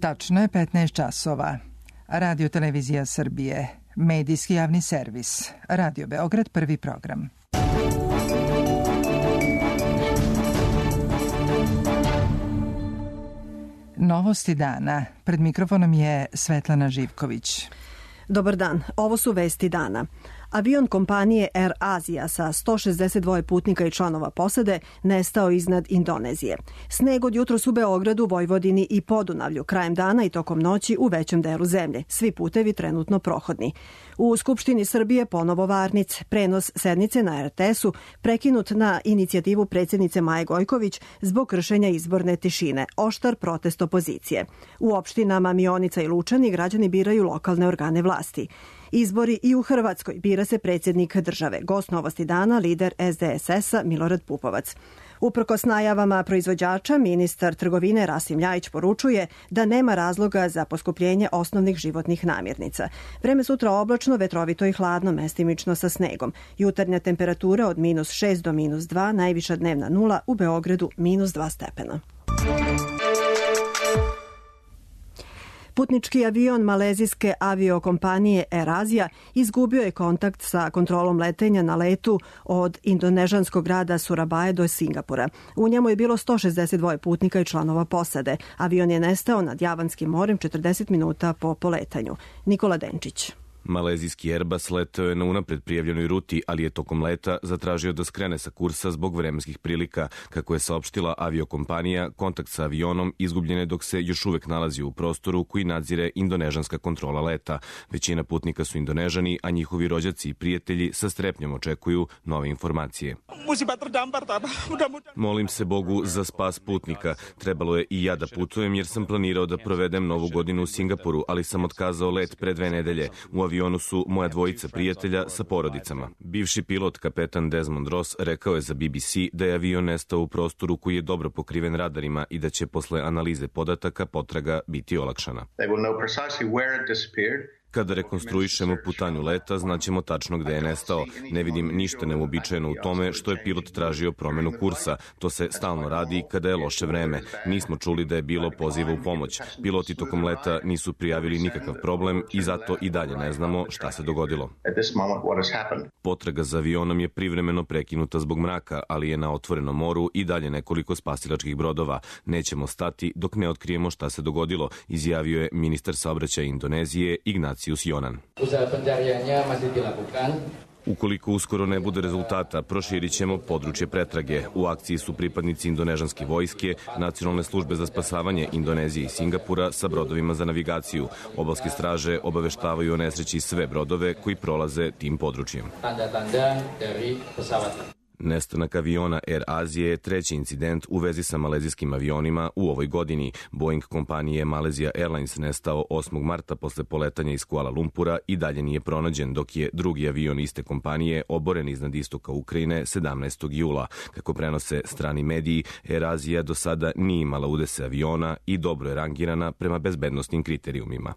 Tačno je 15 časova. Radio Televizija Srbije, medijski javni servis, Radio Beograd, prvi program. Novosti dana. Pred mikrofonom je Svetlana Živković. Dobar dan, ovo su vesti dana. Avion kompanije Air Asia sa 162 putnika i članova posade nestao iznad Indonezije. Sneg od jutros u Beogradu, Vojvodini i Podunavlju, krajem dana i tokom noći u većem delu zemlje. Svi putevi trenutno prohodni. U Skupštini Srbije ponovo varnic. Prenos sednice na RTS-u prekinut na inicijativu predsjednice Maje Gojković zbog kršenja izborne tišine. Oštar protest opozicije. U opštinama Mionica i Lučani građani biraju lokalne organe vlasti. Izbori i u Hrvatskoj, bira se predsjednik države. Gost Novosti dana, lider SDSS-a Milorad Pupovac. Uprkos najavama proizvođača, ministar trgovine Rasim Ljajić poručuje da nema razloga za poskupljenje osnovnih životnih namirnica. Vreme sutra oblačno, vetrovito i hladno, mestimično sa snegom. Jutarnja temperatura od -6 do -2, najviša dnevna nula, u Beogradu -2 stepena. Putnički avion malezijske aviokompanije Air Asia izgubio je kontakt sa kontrolom letenja na letu od indonežanskog grada Surabaje do Singapura. U njemu je bilo 162 putnika i članova posade. Avion je nestao nad Javanskim morem 40 minuta po poletanju. Nikola Denčić. Malezijski Airbus letao je na unapred prijavljenoj ruti, ali je tokom leta zatražio da skrene sa kursa zbog vremenskih prilika. Kako je saopštila aviokompanija, kontakt sa avionom izgubljen je dok se još uvek nalazi u prostoru koji nadzire indonežanska kontrola leta. Većina putnika su Indonežani, a njihovi rođaci i prijatelji sa strepnjom očekuju nove informacije. Molim se Bogu za spas putnika. Trebalo je i ja da putujem jer sam planirao da provedem Novu godinu u Singapuru, ali sam otkazao let pre 2 nedelje. U avionu su moja dvojica prijatelja sa porodicama. Bivši pilot, kapetan Desmond Ross, rekao je za BBC da je avion nestao u prostoru koji je dobro pokriven radarima i da će posle analize podataka potraga biti olakšana. Kada rekonstruišemo putanju leta, znaćemo tačno gde je nestao. Ne vidim ništa neuobičajeno u tome što je pilot tražio promenu kursa. To se stalno radi kada je loše vreme. Nismo čuli da je bilo poziva u pomoć. Piloti tokom leta nisu prijavili nikakav problem i zato i dalje ne znamo šta se dogodilo. Potraga za avionom je privremeno prekinuta zbog mraka, ali je na otvorenom moru i dalje nekoliko spasilačkih brodova. Nećemo stati dok ne otkrijemo šta se dogodilo, izjavio je ministar saobraćaja Indonezije Ignatius Jonan. Ukoliko uskoro ne bude rezultata, proširit ćemo područje pretrage. U akciji su pripadnici indonežanske vojske, Nacionalne službe za spasavanje Indonezije i Singapura sa brodovima za navigaciju. Obalske straže obaveštavaju o nesreći sve brodove koji prolaze tim područjem. Nestanak aviona Air Azije je treći incident u vezi sa malezijskim avionima u ovoj godini. Boeing kompanije Malaysia Airlines nestao 8. marta posle poletanja iz Kuala Lumpura i dalje nije pronađen, dok je drugi avion iste kompanije oboren iznad istoka Ukrajine 17. jula. Kako prenose strani mediji, Air Asia do sada nije imala udese aviona i dobro je rangirana prema bezbednostnim kriterijumima.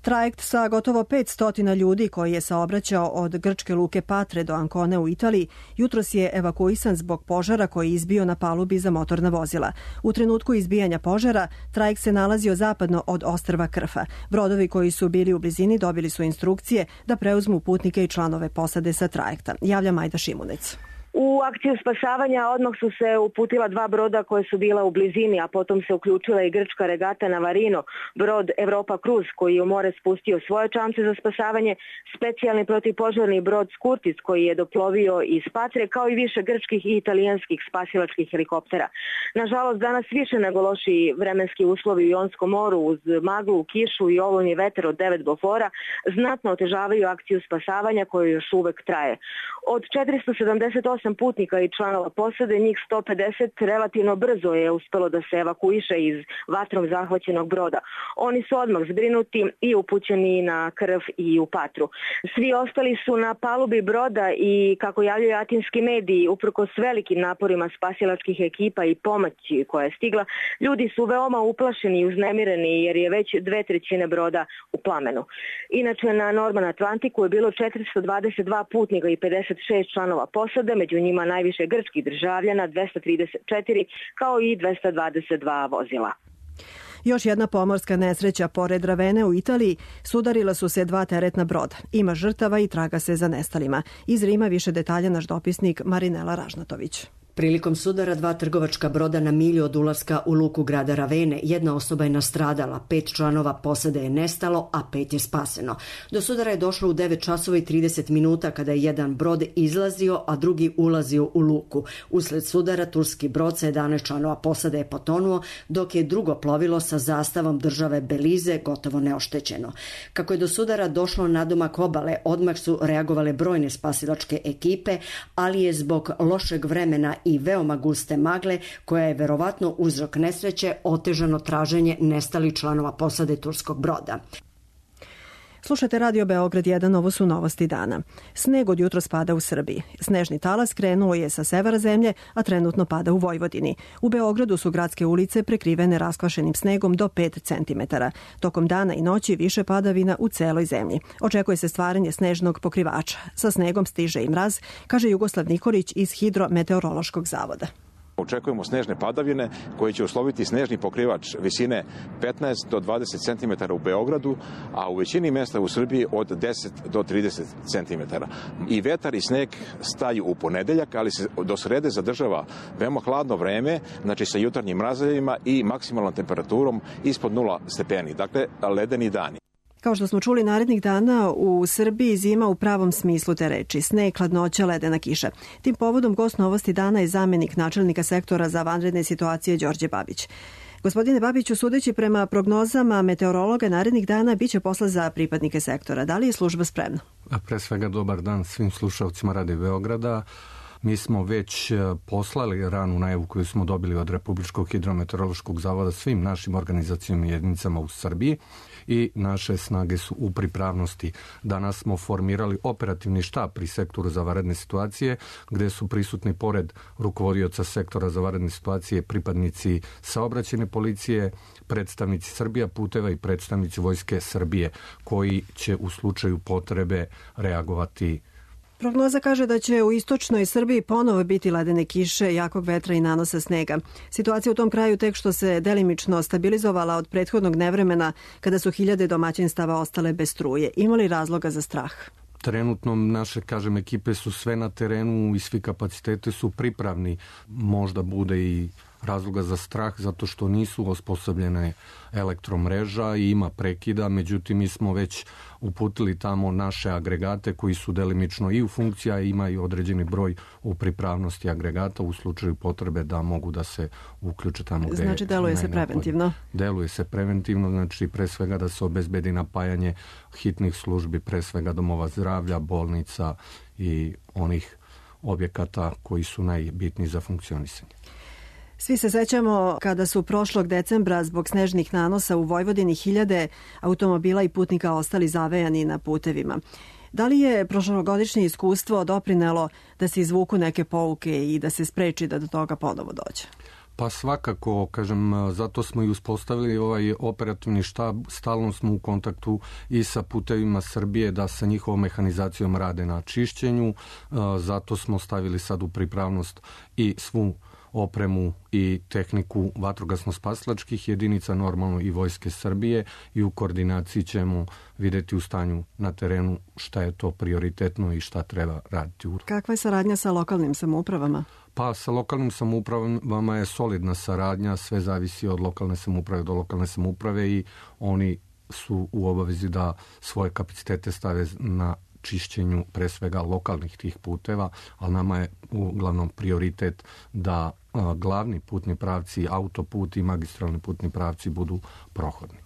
Trajekt sa gotovo 500 ljudi koji je saobraćao od grčke luke Patre do Ancone u Italiji jutros je evakuisan zbog požara koji je izbio na palubi za motorna vozila. U trenutku izbijanja požara trajekt se nalazio zapadno od ostrva Krfa. Brodovi koji su bili u blizini dobili su instrukcije da preuzmu putnike i članove posade sa trajekta. Javlja Majda Šimunec. U akciju spasavanja odmah su se uputila 2 broda koje su bila u blizini, a potom se uključila i grčka regata Navarino, brod Europa Cruz koji je u more spustio svoje čamce za spasavanje, specijalni protivpožarni brod Skurtis koji je doplovio iz Patre, kao i više grčkih i italijanskih spasilačkih helikoptera. Nažalost, danas više nego loši vremenski uslovi u Jonskom moru uz maglu, kišu i olujni vetar od 9 bofora znatno otežavaju akciju spasavanja koja još uvek traje. Od 478 putnika i članova posade, njih 150 relativno brzo je uspelo da se evakuiše iz vatrom zahvaćenog broda. Oni su odmah zbrinuti i upućeni na Krf i u Patru. Svi ostali su na palubi broda i, kako javljaju atinski mediji, uprkos velikim naporima spasilačkih ekipa i pomoći koja je stigla, ljudi su veoma uplašeni i uznemireni jer je već 2/3 broda u plamenu. Inače, na Norman Atlantiku je bilo 422 putnika i 56 članova posade, među njima najviše grčkih državljana, 234, kao i 222 vozila. Još jedna pomorska nesreća pored Ravene u Italiji, sudarila su se 2 teretna broda. Ima žrtava i traga se za nestalima. Iz Rima više detalja naš dopisnik Marinela Ražnatović. Prilikom sudara 2 trgovačka broda na milju od ulaska u luku grada Ravene, jedna osoba je nastradala, 5 članova posade je nestalo, a 5 je spaseno. Do sudara je došlo u 9 časova i 30 minuta kada je jedan brod izlazio, a drugi ulazio u luku. Usled sudara turski brod sa 11 članova posade je potonuo, dok je drugo plovilo sa zastavom države Belize gotovo neoštećeno. Kako je do sudara došlo nadomak obale, odmah su reagovale brojne spasilačke ekipe, ali je zbog lošeg vremena i veoma guste magle, koja je verovatno uzrok nesreće, otežano traženje nestalih članova posade turskog broda. Slušajte Radio Beograd 1, ovo su novosti dana. Sneg od jutros pada u Srbiji. Snežni talas krenuo je sa severa zemlje, a trenutno pada u Vojvodini. U Beogradu su gradske ulice prekrivene raskvašenim snegom do 5 cm. Tokom dana i noći više padavina u celoj zemlji. Očekuje se stvaranje snežnog pokrivača. Sa snegom stiže i mraz, kaže Jugoslav Nikolić iz Hidrometeorološkog zavoda. Očekujemo snežne padavine koje će usloviti snežni pokrivač visine 15 do 20 cm u Beogradu, a u većini mesta u Srbiji od 10 do 30 cm. I vetar i sneg staju u ponedeljak, ali se do srede zadržava veoma hladno vreme, znači sa jutarnjim mrazevima i maksimalnom temperaturom ispod 0 stepeni, dakle ledeni dani. Kao što smo čuli narednih dana, u Srbiji zima u pravom smislu te reči. Sneg, hladnoća, ledena kiša. Tim povodom gost novosti dana je zamenik načelnika sektora za vanredne situacije Đorđe Babić. Gospodine Babiću, sudeći prema prognozama meteorologa narednih dana, biće posla za pripadnike sektora. Da li je služba spremna? Pre svega dobar dan svim slušalcima Radio Beograda. Mi smo već poslali ranu najavu koju smo dobili od Republičkog hidrometeorološkog zavoda svim našim organizacijama i jedinicama u Srbiji i naše snage su u pripravnosti. Danas smo formirali operativni štab pri sektoru za vanredne situacije, gde su prisutni pored rukovodioca sektora za vanredne situacije pripadnici saobraćajne policije, predstavnici Srbija puteva i predstavnici Vojske Srbije, koji će u slučaju potrebe reagovati. Prognoza kaže da će u istočnoj Srbiji ponovo biti ledene kiše, jakog vetra i nanosa snega. Situacija u tom kraju tek što se delimično stabilizovala od prethodnog nevremena kada su hiljade domaćinstava ostale bez struje. Ima li razloga za strah? Trenutno naše, ekipe su sve na terenu i svi kapaciteti su pripravni. Možda bude i razloga za strah zato što nisu osposobljene elektromreža i ima prekida, međutim mi smo već uputili tamo naše agregate koji su delimično i u funkciji, a ima i određeni broj u pripravnosti agregata u slučaju potrebe da mogu da se uključe tamo gde. Znači deluje se preventivno? Deluje se preventivno, znači pre svega da se obezbedi napajanje hitnih službi, pre svega domova zdravlja, bolnica i onih objekata koji su najbitniji za funkcionisanje. Svi se sećamo kada su prošlog decembra zbog snežnih nanosa u Vojvodini hiljade automobila i putnika ostali zavejani na putevima. Da li je prošlogodišnje iskustvo doprinelo da se izvuku neke pouke i da se spreči da do toga ponovo dođe? Pa svakako, zato smo i uspostavili ovaj operativni štab, stalno smo u kontaktu i sa putevima Srbije da sa njihovom mehanizacijom rade na čišćenju, zato smo stavili sad u pripravnost i svu opremu i tehniku vatrogasno-spasilačkih jedinica, normalno i Vojske Srbije, i u koordinaciji ćemo videti u stanju na terenu šta je to prioritetno i šta treba raditi. Kakva je saradnja sa lokalnim samoupravama? Pa sa lokalnim samoupravama je solidna saradnja, sve zavisi od lokalne samouprave do lokalne samouprave i oni su u obavezi da svoje kapacitete stave na čišćenju pre svega lokalnih tih puteva, ali nama je uglavnom prioritet da glavni putni pravci, autoput i magistralni putni pravci budu prohodni.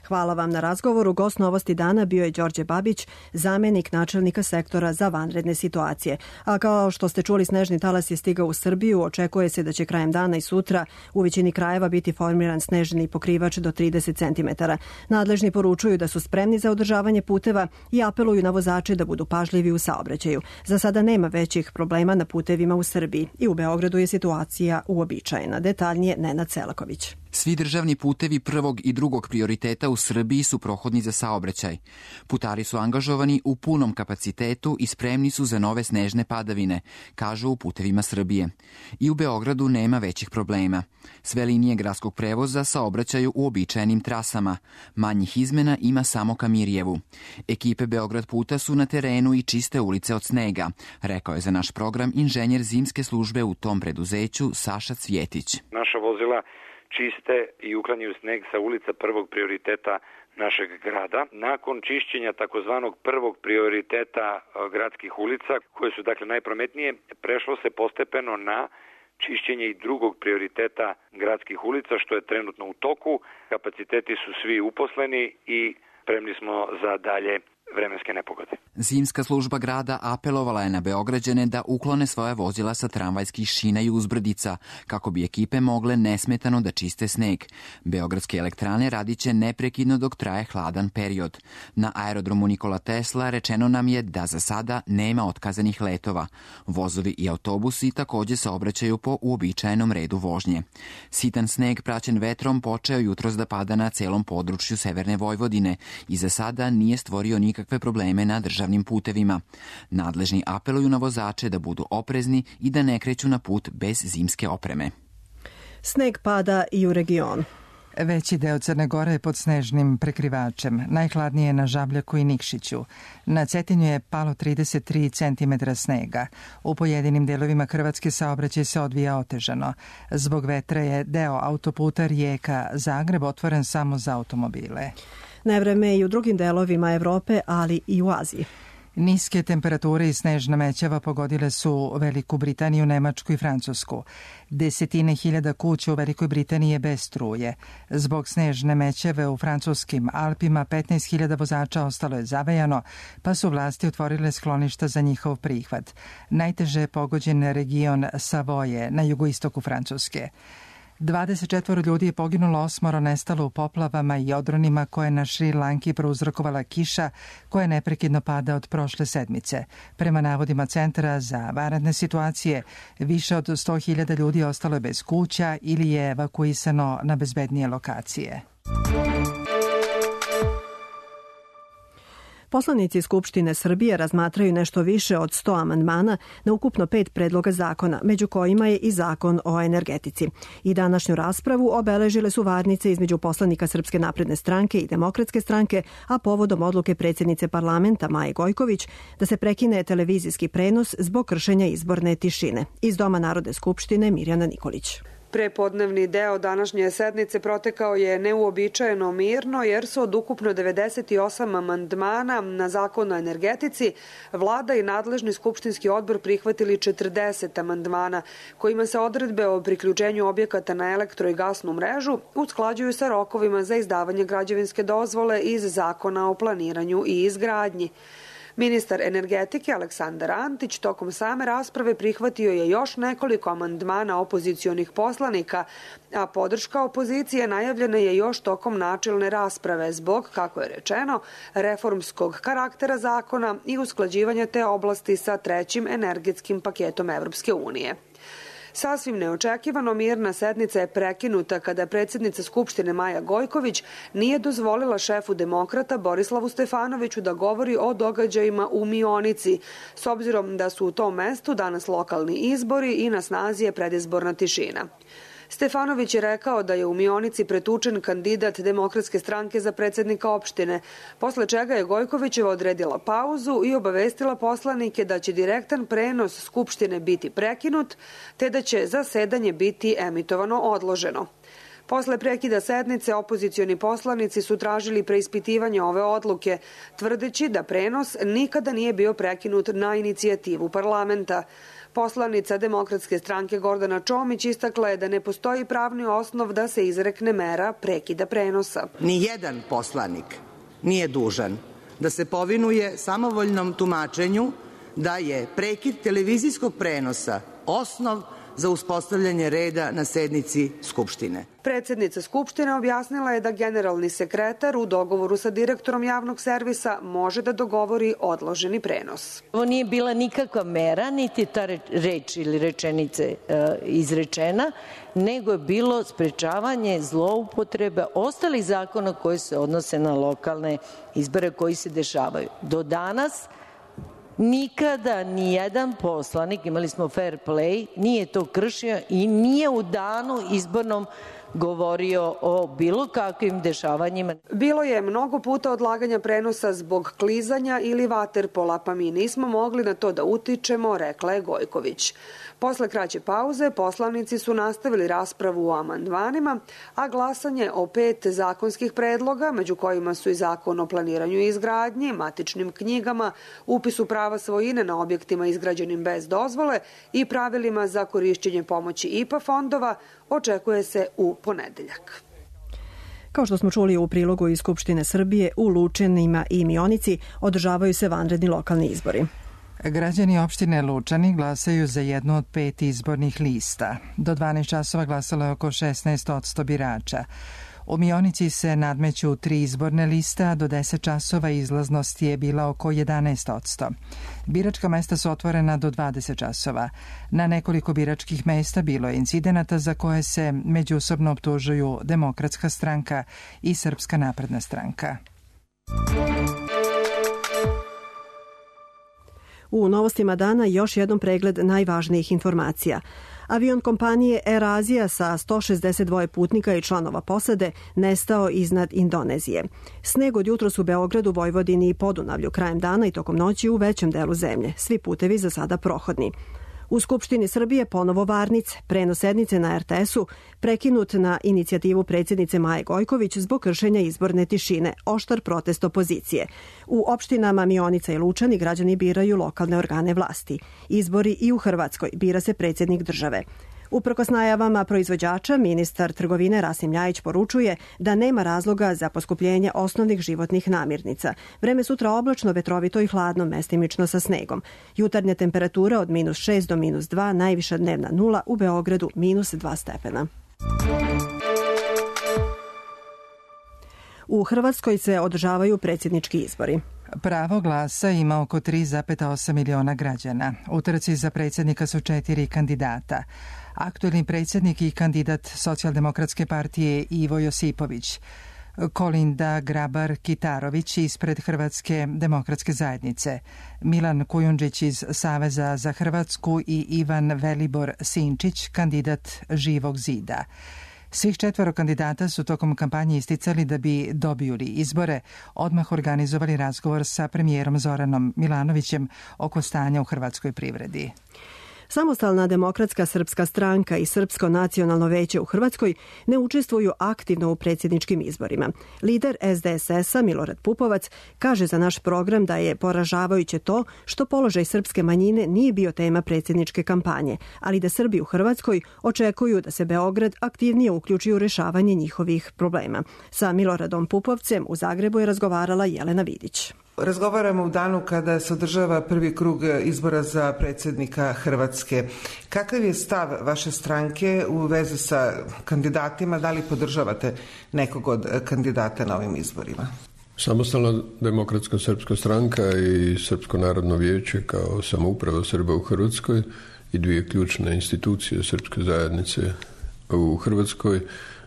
Hvala vam na razgovoru. Gost novosti dana bio je Đorđe Babić, zamenik načelnika sektora za vanredne situacije. A kao što ste čuli, snežni talas je stigao u Srbiju. Očekuje se da će krajem dana i sutra u većini krajeva biti formiran snežni pokrivač do 30 cm. Nadležni poručuju da su spremni za održavanje puteva i apeluju na vozače da budu pažljivi u saobraćaju. Za sada nema većih problema na putevima u Srbiji i u Beogradu je situacija uobičajena. Detaljnije Nenad Selaković. Svi državni putevi prvog i drugog prioriteta u Srbiji su prohodni za saobraćaj. Putari su angažovani u punom kapacitetu i spremni su za nove snežne padavine, kažu u Putevima Srbije. I u Beogradu nema većih problema. Sve linije gradskog prevoza saobraćaju u uobičajenim trasama. Manjih izmena ima samo ka Mirjevu. Ekipe Beograd puta su na terenu i čiste ulice od snega, rekao je za naš program inženjer zimske službe u tom preduzeću Saša Cvjetić. Naša vozila čiste i uklanjaju sneg sa ulica prvog prioriteta našeg grada. Nakon čišćenja takozvanog prvog prioriteta gradskih ulica, koje su dakle najprometnije, prešlo se postepeno na čišćenje i drugog prioriteta gradskih ulica, što je trenutno u toku. Kapaciteti su svi uposleni i spremni smo za dalje vremenske nepogode. Zimska služba grada apelovala je na Beograđane da uklone svoje vozila sa tramvajskih šina i uzbrdica, kako bi ekipe mogle nesmetano da čiste sneg. Beogradske elektrane radiće neprekidno dok traje hladan period. Na aerodromu Nikola Tesla rečeno nam je da za sada nema otkazanih letova. Vozovi i autobusi takođe saobraćaju po uobičajenom redu vožnje. Sitan sneg praćen vetrom počeo jutros da pada na celom području severne Vojvodine i za sada nije stvorio nikakve probleme na državnim putevima. Nadležni apeluju na vozače da budu oprezni i da ne kreću na put bez zimske opreme. Sneg pada i u regionu. Veći deo Crne Gore je pod snežnim prekrivačem. Najhladnije je na Žabljaku i Nikšiću. Na Cetinju je palo 33 cm snega. U pojedinim delovima Hrvatske saobraćaj se odvija otežano. Zbog vetra je deo autoputa Rijeka-Zagreb otvoren samo za automobile. Nevreme je i u drugim delovima Evrope, ali i u Aziji. Niske temperature i snežna mećava pogodile su Veliku Britaniju, Nemačku i Francusku. Desetine hiljada kuća u Velikoj Britaniji je bez struje. Zbog snežne mećave u francuskim Alpima 15.000 vozača ostalo je zavejano, pa su vlasti otvorile skloništa za njihov prihvat. Najteže je pogođen region Savoje na jugoistoku Francuske. 24 ljudi je poginulo, 8 nestalo u poplavama i odronima koje na Šri Lanki prouzrokovala kiša koja neprekidno pada od prošle sedmice. Prema navodima Centra za vanredne situacije, više od 100.000 ljudi ostalo je bez kuća ili je evakuisano na bezbednije lokacije. Poslanici Skupštine Srbije razmatraju nešto više od 100 amandmana na ukupno 5 predloga zakona, među kojima je i zakon o energetici. I današnju raspravu obeležile su varnice između poslanika Srpske napredne stranke i Demokratske stranke, a povodom odluke predsjednice parlamenta Maje Gojković da se prekine televizijski prenos zbog kršenja izborne tišine. Iz Doma Narodne skupštine Mirjana Nikolić. Prepodnevni deo današnje sednice protekao je neuobičajeno mirno jer su od ukupno 98 amandmana na zakon o energetici vlada i nadležni skupštinski odbor prihvatili 40 amandmana kojima se odredbe o priključenju objekata na elektro i gasnu mrežu usklađuju sa rokovima za izdavanje građevinske dozvole iz zakona o planiranju i izgradnji. Ministar energetike Aleksandar Antić tokom same rasprave prihvatio je još nekoliko amandmana opozicionih poslanika, a podrška opozicije najavljena je još tokom načelne rasprave zbog, kako je rečeno, reformskog karaktera zakona i usklađivanja te oblasti sa trećim energetskim paketom Evropske unije. Sasvim neočekivano mirna sednica je prekinuta kada predsjednica Skupštine Maja Gojković nije dozvolila šefu demokrata Borislavu Stefanoviću da govori o događajima u Mionici, s obzirom da su u tom mestu danas lokalni izbori i na snazi je predizborna tišina. Stefanović je rekao da je u Mionici pretučen kandidat Demokratske stranke za predsjednika opštine, posle čega je Gojkovićeva odredila pauzu i obavestila poslanike da će direktan prenos Skupštine biti prekinut, te da će zasedanje biti emitovano odloženo. Posle prekida sednice, opozicioni poslanici su tražili preispitivanje ove odluke, tvrdeći da prenos nikada nije bio prekinut na inicijativu parlamenta. Poslanica Demokratske stranke Gordana Čomić istakla je da ne postoji pravni osnov da se izrekne mera prekida prenosa. Nijedan poslanik nije dužan da se povinuje samovoljnom tumačenju da je prekid televizijskog prenosa osnov za uspostavljanje reda na sednici Skupštine. Predsjednica Skupštine objasnila je da generalni sekretar u dogovoru sa direktorom javnog servisa može da dogovori odloženi prenos. Ovo nije bila nikakva mera, niti ta reč ili rečenice izrečena, nego je bilo sprečavanje zloupotrebe ostalih zakona koji se odnose na lokalne izbore koji se dešavaju. Do danas Nikada ni jedan poslanik, imali smo fair play, nije to kršio i nije u danu izbornom govorio o bilo kakvim dešavanjima. Bilo je mnogo puta odlaganja prenosa zbog klizanja ili vaterpola, pa mi nismo mogli na to da utičemo, rekla je Gojković. Posle kraće pauze poslanici su nastavili raspravu o amandmanima, a glasanje o 5 zakonskih predloga, među kojima su i Zakon o planiranju i izgradnji, matičnim knjigama, upisu prava svojine na objektima izgrađenim bez dozvole i pravilima za korišćenje pomoći IPA fondova, očekuje se u ponedeljak. Kao što smo čuli u prilogu iz Skupštine Srbije, u Lučanima i Mionici održavaju se vanredni lokalni izbori. Građani opštine Lučani glasaju za jednu od 5 izbornih lista. Do 12 časova glasalo je oko 16% birača. U Mionici se nadmeću 3 izborne liste, a do 10 časova izlaznost je bila oko 11%. Biračka mesta su otvorena do 20 časova. Na nekoliko biračkih mesta bilo je incidenata za koje se međusobno optužuju Demokratska stranka i Srpska napredna stranka. U novostima dana još jednom pregled najvažnijih informacija. Avion kompanije Air Asia sa 162 putnika i članova posade nestao iznad Indonezije. Sneg od jutros u Beogradu, Vojvodini i Podunavlju krajem dana i tokom noći u većem delu zemlje. Svi putevi za sada prohodni. U Skupštini Srbije ponovo varnice, prenos sednice na RTS-u, prekinut na inicijativu predsjednice Maje Gojković zbog kršenja izborne tišine, oštar protest opozicije. U opštinama Mionica i Lučani građani biraju lokalne organe vlasti. Izbori i u Hrvatskoj, bira se predsjednik države. Uprkos najavama proizvođača, ministar trgovine Rasim Ljajić poručuje da nema razloga za poskupljenje osnovnih životnih namirnica. Vreme sutra oblačno, vetrovito i hladno, mestimično sa snegom. Jutarnja temperatura od -6 do -2, najviša dnevna 0, u Beogradu -2 stepena. U Hrvatskoj se održavaju predsjednički izbori. Pravo glasa ima oko 3,8 miliona građana. U trci za predsjednika su 4 kandidata. Aktuelni predsjednik i kandidat Socijaldemokratske partije Ivo Josipović, Kolinda Grabar-Kitarović ispred Hrvatske demokratske zajednice, Milan Kujundžić iz Saveza za Hrvatsku i Ivan Velibor Sinčić, kandidat Živog zida. Svih 4 kandidata su tokom kampanje isticali da bi, dobiju li izbore, odmah organizovali razgovor sa premijerom Zoranom Milanovićem oko stanja u hrvatskoj privredi. Samostalna demokratska srpska stranka i Srpsko nacionalno veće u Hrvatskoj ne učestvuju aktivno u predsjedničkim izborima. Lider SDSS-a Milorad Pupovac kaže za naš program da je poražavajuće to što položaj srpske manjine nije bio tema predsjedničke kampanje, ali da Srbi u Hrvatskoj očekuju da se Beograd aktivnije uključi u rešavanje njihovih problema. Sa Miloradom Pupovcem u Zagrebu je razgovarala Jelena Vidić. Razgovaramo u danu kada se održava prvi krug izbora za predsjednika Hrvatske. Kakav je stav vaše stranke u vezi sa kandidatima? Da li podržavate nekog od kandidata na ovim izborima? Samostalna demokratska srpska stranka i Srpsko narodno vijeće kao samouprava Srba u Hrvatskoj i 2 ključne institucije srpske zajednice u Hrvatskoj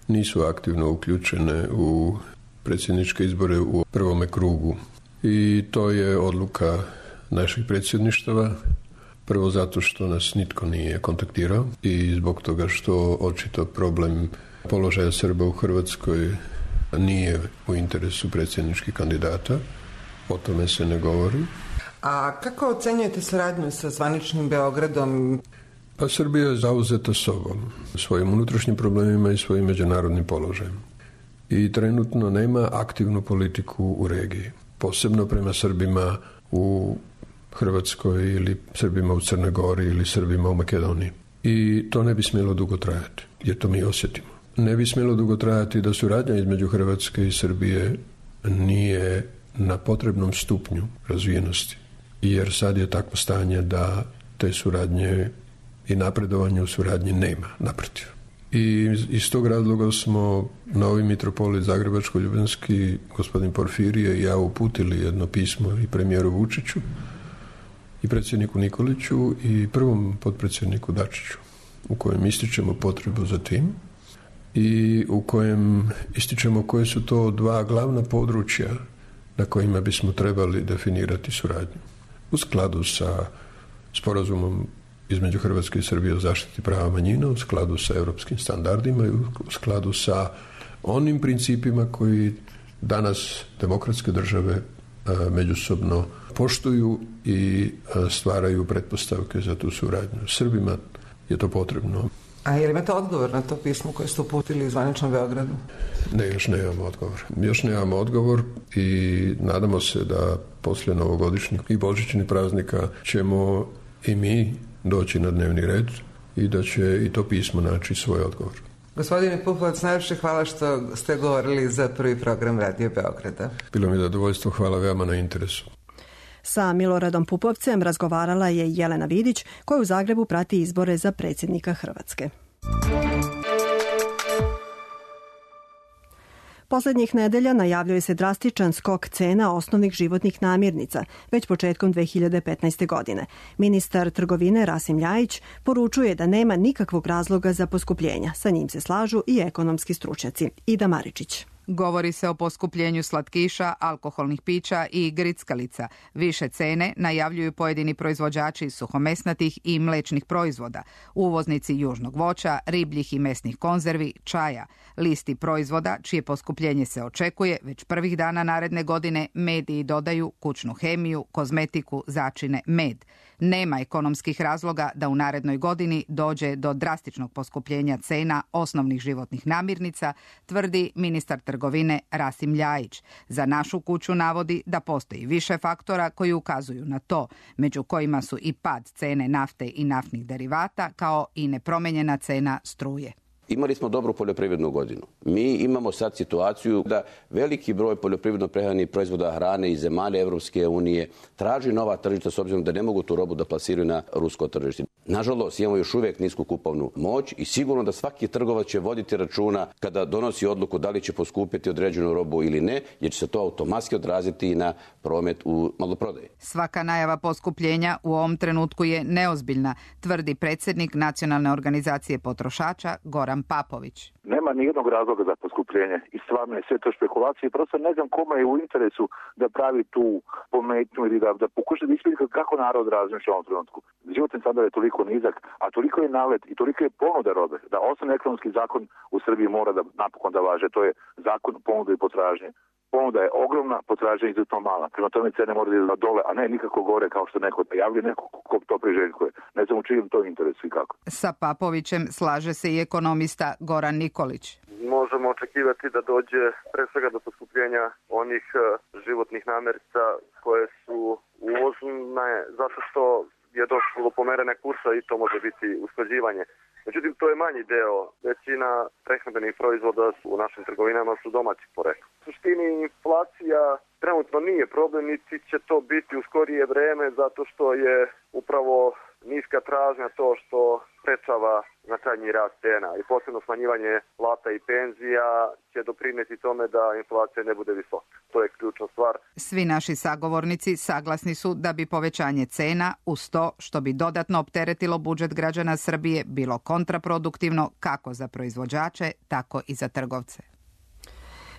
nisu aktivno uključene u predsjedničke izbore u prvome krugu. I to je odluka naših predsjedništava, prvo zato što nas nitko nije kontaktirao i zbog toga što očito problem položaja Srba u Hrvatskoj nije u interesu predsjedničkih kandidata, o tome se ne govori. A kako ocenjujete saradnju sa zvaničnim Beogradom? Pa Srbija je zauzeta sobom, svojim unutrašnjim problemima i svojim međunarodnim položajem. I trenutno nema aktivnu politiku u regiji. Posebno prema Srbima u Hrvatskoj ili Srbima u Crnoj Gori ili Srbima u Makedoniji. I to ne bi smjelo dugo trajati, jer to mi osjetimo. Ne bi smjelo dugo trajati da suradnja između Hrvatske i Srbije nije na potrebnom stupnju razvijenosti. Jer sad je takvo stanje da te suradnje i napredovanje u suradnji nema, naprotiv. I iz tog razloga smo novi mitropolit Zagrebačko-Ljubljanski, gospodin Porfirije i ja uputili jedno pismo i premijeru Vučiću i predsjedniku Nikoliću i prvom potpredsjedniku Dačiću, u kojem ističemo potrebu za tim i u kojem ističemo koje su to 2 glavna područja na kojima bismo trebali definirati suradnju. u skladu sa sporazumom između Hrvatske i Srbije o zaštiti prava manjina, u skladu sa europskim standardima i u skladu sa onim principima koji danas demokratske države međusobno poštuju i stvaraju pretpostavke za tu suradnju. Srbima je to potrebno. A je li imate odgovor na to pismo koje ste uputili u zvaničnom Beogradu? Ne, još nemamo odgovor. Još nemamo odgovor i nadamo se da poslije novogodišnjih i božićnih praznika ćemo i mi doći na dnevni red i da će i to pismo naći svoj odgovor. Gospodine Pupovac, najviše hvala što ste govorili za prvi program Radio Beograda. Bilo mi je zadovoljstvo, hvala veoma na interesu. Sa Miloradom Pupovcem razgovarala je Jelena Vidić, koja u Zagrebu prati izbore za predsjednika Hrvatske. Poslednjih nedelja najavljuje se drastičan skok cena osnovnih životnih namirnica, već početkom 2015. godine. Ministar trgovine Rasim Ljajić poručuje da nema nikakvog razloga za poskupljenja. Sa njim se slažu i ekonomski stručnjaci. Ida Maričić. Govori se o poskupljenju slatkiša, alkoholnih pića i grickalica. Više cene najavljuju pojedini proizvođači suhomesnatih i mlečnih proizvoda, uvoznici južnog voća, ribljih i mesnih konzervi, čaja. Listi proizvoda, čije poskupljenje se očekuje, već prvih dana naredne godine mediji dodaju kućnu hemiju, kozmetiku, začine, med. Nema ekonomskih razloga da u narednoj godini dođe do drastičnog poskupljenja cena osnovnih životnih namirnica, tvrdi ministar trgovine Rasim Ljajić. Za našu kuću navodi da postoji više faktora koji ukazuju na to, među kojima su i pad cene nafte i naftnih derivata, kao i nepromenjena cena struje. Imali smo dobru poljoprivrednu godinu. Mi imamo sad situaciju da veliki broj poljoprivredno-prehrambenih proizvoda hrane iz zemalja Evropske unije traži nova tržišta s obzirom da ne mogu tu robu da plasiraju na rusko tržište. Nažalost, imamo još uvijek nisku kupovnu moć i sigurno da svaki trgovac će voditi računa kada donosi odluku da li će poskupiti određenu robu ili ne, jer će se to automatski odraziti na promet u maloprodaji. Svaka najava poskupljenja u ovom trenutku je neozbiljna, tvrdi predsjednik Nacionalne organizacije potrošača Goran Papović. Nema nijednog razloga za poskupljenje i stvarno je sve to špekulacije. Prosto ne znam kome je u interesu da pravi tu pometnju ili da pokuša da isvidi kako narod razmišlja u ovom trenutku. Životni standard je toliko nizak, a toliko je nalet i toliko je ponuda robe da osnovni ekonomski zakon u Srbiji mora da napokon da važe. To je zakon ponude i potražnje. Ponuda je ogromna, potražnja izuzetno mala. Prema tome cene moraju da dole, a ne nikako gore kao što neko najavlja, neko ko to priželjkuje. Ne znam u čijem to interesu i kako. Sa Papovićem slaže se i ekonomista Goran Nikolić. Možemo očekivati da dođe pre svega do poskupljenja onih životnih namirnica koje su uvozne zato što je došlo do pomerene kursa i to može biti usklađivanje. Međutim, to je manji deo. Većina prehrambenih proizvoda u našim trgovinama su domaćih porekla. U suštini inflacija trenutno nije problem, niti će to biti u skorije vreme zato što je upravo niska tražnja to što sprečava značajniji rast cena i posebno smanjivanje plata i penzija će doprineti tome da inflacija ne bude visoka. To je ključna stvar. Svi naši sagovornici saglasni su da bi povećanje cena uz to što bi dodatno opteretilo budžet građana Srbije bilo kontraproduktivno kako za proizvođače, tako i za trgovce.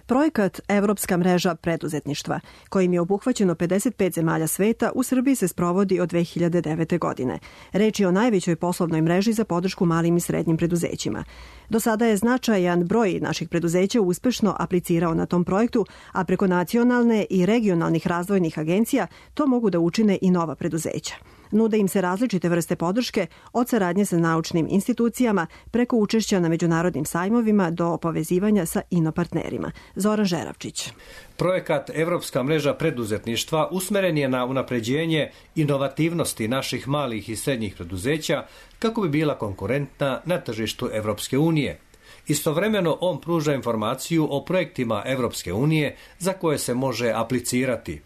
Projekat Evropska mreža preduzetništva, kojim je obuhvaćeno 55 zemalja sveta, u Srbiji se sprovodi od 2009. godine. Reč je o najvećoj poslovnoj mreži za podršku malim i srednjim preduzećima. Do sada je značajan broj naših preduzeća uspešno aplicirao na tom projektu, a preko nacionalne i regionalnih razvojnih agencija to mogu da učine i nova preduzeća. Nude im se različite vrste podrške, od saradnje sa naučnim institucijama, preko učešća na međunarodnim sajmovima do povezivanja sa inopartnerima. Zoran Žeravčić. Projekat Evropska mreža preduzetništva usmeren je na unapređenje inovativnosti naših malih i srednjih preduzeća kako bi bila konkurentna na tržištu Evropske unije. Istovremeno on pruža informaciju o projektima Evropske unije za koje se može aplicirati.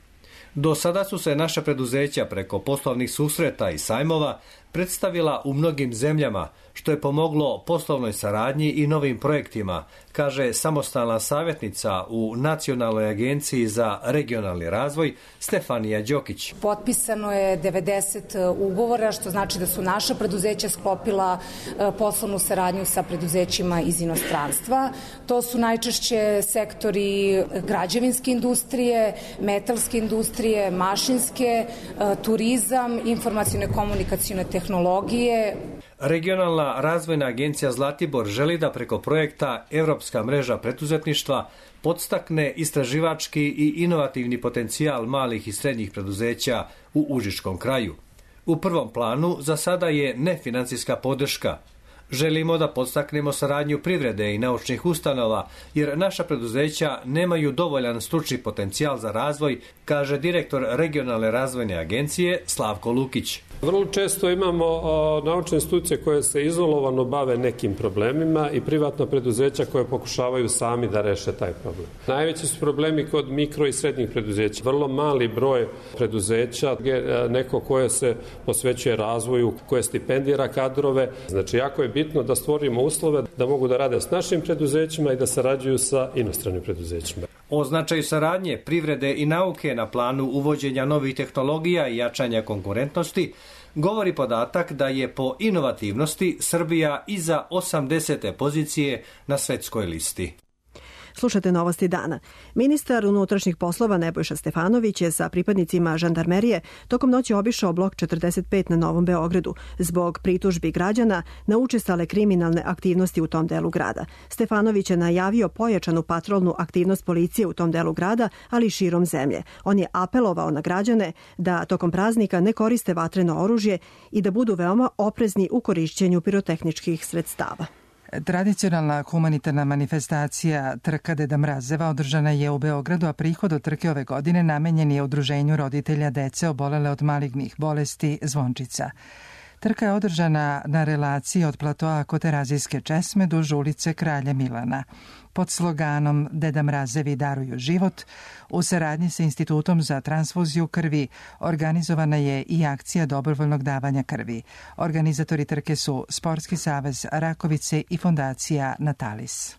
Do sada su se naša preduzeća preko poslovnih susreta i sajmova predstavila u mnogim zemljama, što je pomoglo poslovnoj saradnji i novim projektima, kaže samostalna savjetnica u Nacionalnoj agenciji za regionalni razvoj Stefanija Đokić. Potpisano je 90 ugovora, što znači da su naša preduzeća sklopila poslovnu saradnju sa preduzećima iz inostranstva. To su najčešće sektori građevinske industrije, metalske industrije, mašinske, turizam, informaciono-komunikacione tehnologije. Regionalna razvojna agencija Zlatibor želi da preko projekta Evropska mreža preduzetništva podstakne istraživački i inovativni potencijal malih i srednjih preduzeća u Užičkom kraju. U prvom planu za sada je nefinancijska podrška. Želimo da podstaknemo saradnju privrede i naučnih ustanova, jer naša preduzeća nemaju dovoljan stručni potencijal za razvoj, kaže direktor regionalne razvojne agencije Slavko Lukić. Vrlo često imamo naučne institucije koje se izolovano bave nekim problemima i privatna preduzeća koje pokušavaju sami da reše taj problem. Najveći su problemi kod mikro i srednjih preduzeća. Vrlo mali broj preduzeća, neko koje se posvećuje razvoju, koje stipendira kadrove. Znači, jako je bitno da stvorimo uslove da mogu da rade s našim preduzećima i da sarađuju sa inostranim preduzećima. O značaju saradnje privrede i nauke na planu uvođenja novih tehnologija i jačanja konkurentnosti govori podatak da je po inovativnosti Srbija iza 80. pozicije na svetskoj listi. Slušate novosti dana. Ministar unutrašnjih poslova Nebojša Stefanović je sa pripadnicima žandarmerije tokom noći obišao blok 45 na Novom Beogradu zbog pritužbi građana na učestale kriminalne aktivnosti u tom delu grada. Stefanović je najavio pojačanu patrolnu aktivnost policije u tom delu grada, ali i širom zemlje. On je apelovao na građane da tokom praznika ne koriste vatreno oružje i da budu veoma oprezni u korišćenju pirotehničkih sredstava. Tradicionalna humanitarna manifestacija Trka Deda Mrazeva održana je u Beogradu, a prihod od trke ove godine namenjen je udruženju roditelja dece obolele od malignih bolesti Zvončica. Trka je održana na relaciji od platoa kod Terazijske česme duž ulice Kralja Milana. Pod sloganom Deda Mrazevi daruju život, u saradnji sa Institutom za transfuziju krvi organizovana je i akcija dobrovoljnog davanja krvi. Organizatori trke su Sportski savez Rakovice i fondacija Natalis.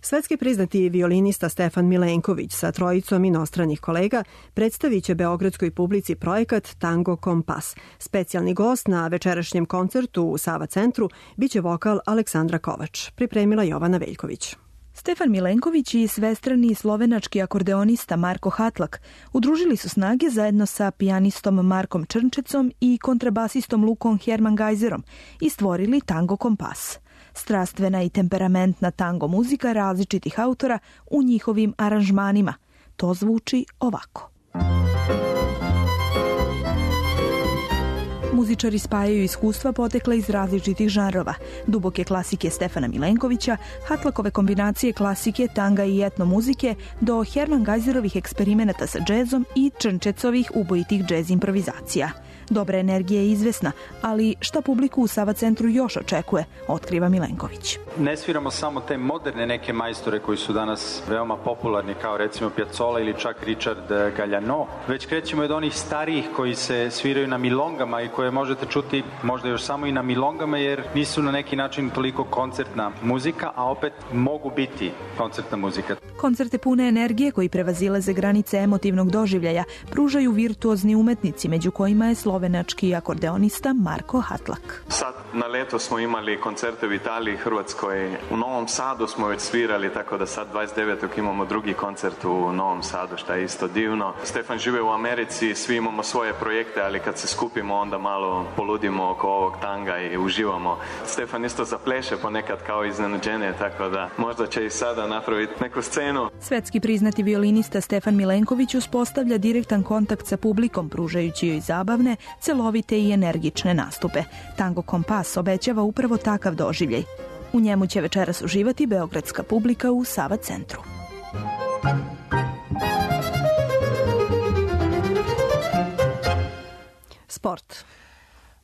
Svetski priznati violinista Stefan Milenković sa trojicom inostranih kolega predstavit će beogradskoj publici projekat Tango Kompas. Specijalni gost na večerašnjem koncertu u Sava centru biće vokal Aleksandra Kovač. Pripremila Jovana Veljković. Stefan Milenković i svestrani slovenački akordeonista Marko Hatlak udružili su snage zajedno sa pijanistom Markom Črnčecom i kontrabasistom Lukom Hermangajzerom i stvorili Tango Kompas. Strastvena i temperamentna tango muzika različitih autora u njihovim aranžmanima. To zvuči ovako. Muzičari spajaju iskustva potekla iz različitih žanrova, duboke klasike Stefana Milenkovića, Hatlakove kombinacije klasike, tanga i etno muzike, do Hermangajzerovih eksperimenata sa džezom i Črnčecovih ubojitih džez improvizacija. Dobra energija je izvesna, ali šta publiku u Sava centru još očekuje, otkriva Milenković. Ne sviramo samo te moderne neke majstore koji su danas veoma popularni, kao recimo Piazzolla ili čak Richard Galliano, već krećemo od onih starijih koji se sviraju na milongama i koje možete čuti možda još samo i na milongama, jer nisu na neki način toliko koncertna muzika, a opet mogu biti koncertna muzika. Koncerte pune energije koji prevazilaze granice emotivnog doživljaja pružaju virtuozni umetnici, među kojima je slovenački akordeonista Marko Hatlak. Sad na leto smo imali koncerte u Italiji, Hrvatskoj, u Novom Sadu smo već svirali, tako da sad 29. imamo drugi koncert u Novom Sadu, što je isto divno. Stefan žive u Americi, svi imamo svoje projekte, ali kad se skupimo onda malo poludimo oko ovog tanga i uživamo. Stefan isto zapleše ponekad kao iznenađenje, tako da možda će i sada napraviti neku scenu. Svetski priznati violinista Stefan Milenković uspostavlja direktan kontakt sa publikom, pružajući joj zabavne, celovite i energične nastupe. Tango Kompas obećava upravo takav doživljaj. U njemu će večeras uživati beogradska publika u Sava centru. Sport.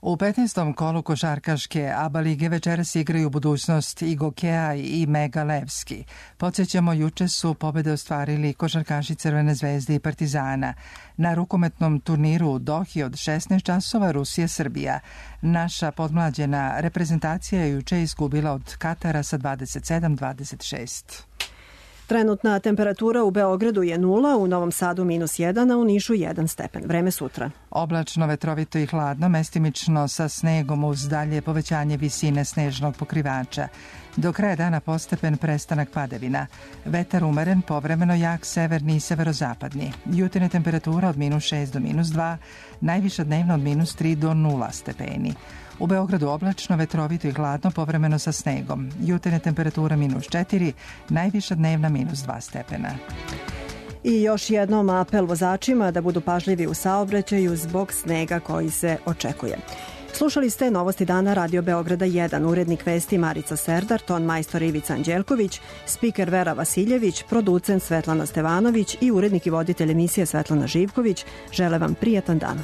U 15. kolu košarkaške ABA lige večeras igraju budućnost Igo Keaj i Mega Levski. Podsjećamo, juče su pobede ostvarili košarkaši Crvene zvezde i Partizana. Na rukometnom turniru u Dohi od 16 časova Rusija-Srbija. Naša podmlađena reprezentacija je juče izgubila od Katara sa 27-26. Trenutna temperatura u Beogradu je 0, u Novom Sadu -1, a u Nišu 1 stepen. Vreme sutra. Oblačno, vetrovito i hladno, mestimično sa snegom uz dalje povećanje visine snežnog pokrivača. Do kraja dana postepen prestanak padavina. Vetar umeren, povremeno jak severni i severozapadni. Jutarnja temperatura od -6 do -2, najviša dnevna od -3 do 0 stepeni. U Beogradu oblačno, vetrovito i hladno, povremeno sa snegom. Jutarnja temperatura -4, najviša dnevna -2 stepena. I još jednom apel vozačima da budu pažljivi u saobraćaju zbog snega koji se očekuje. Slušali ste Novosti dana Radio Beograda 1, urednik vesti Marica Serdar, ton majstor Ivica Anđelković, spiker Vera Vasiljević, producent Svetlana Stevanović i urednik i voditelj emisije Svetlana Živković. Žele vam prijatan dan.